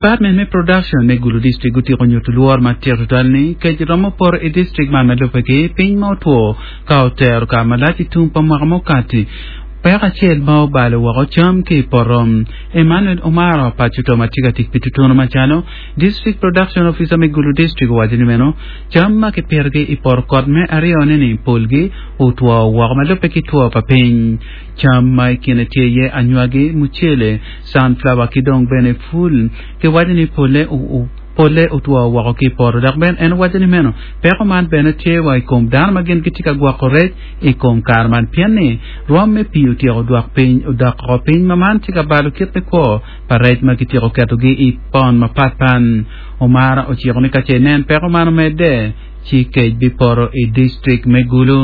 Department me Production me Gulu District gutyeko nyuto lworo matek tutwal ni kec romo poto i district man ma lubbe ki piny ma otwo ka otero kare malac i tum pa mwaka mukati. Peko acel ma obalo woko cam ki i poto. Emmanuel Omaro paco to ma tye ka tic pi tutunu macalo District Production Officer me Gulu District owaco ni meno cam ma kipitogi i poto kot me aryone ni polgi otwo woko ma lubbe ki two pa piny. Cam ma i kine tye iye anywagi, mucele, sunflower ki dong bene pul. Kiwaco ni pole pole otwo woko ki i poto. Dok bene en owaco ni meno peko man bene tye wa i kom dano ma gin gitye ka gwoko rec i kom kare man pien ni rwom me pii otyeko dwok piny odok oko piny ma man tye ka balo kit me kwo pa rec ma kityeko ketogi i pon mapatpat. Omara ociko ni ka ce inen peko man omedde ci kec bipoto i distrik me Gulu.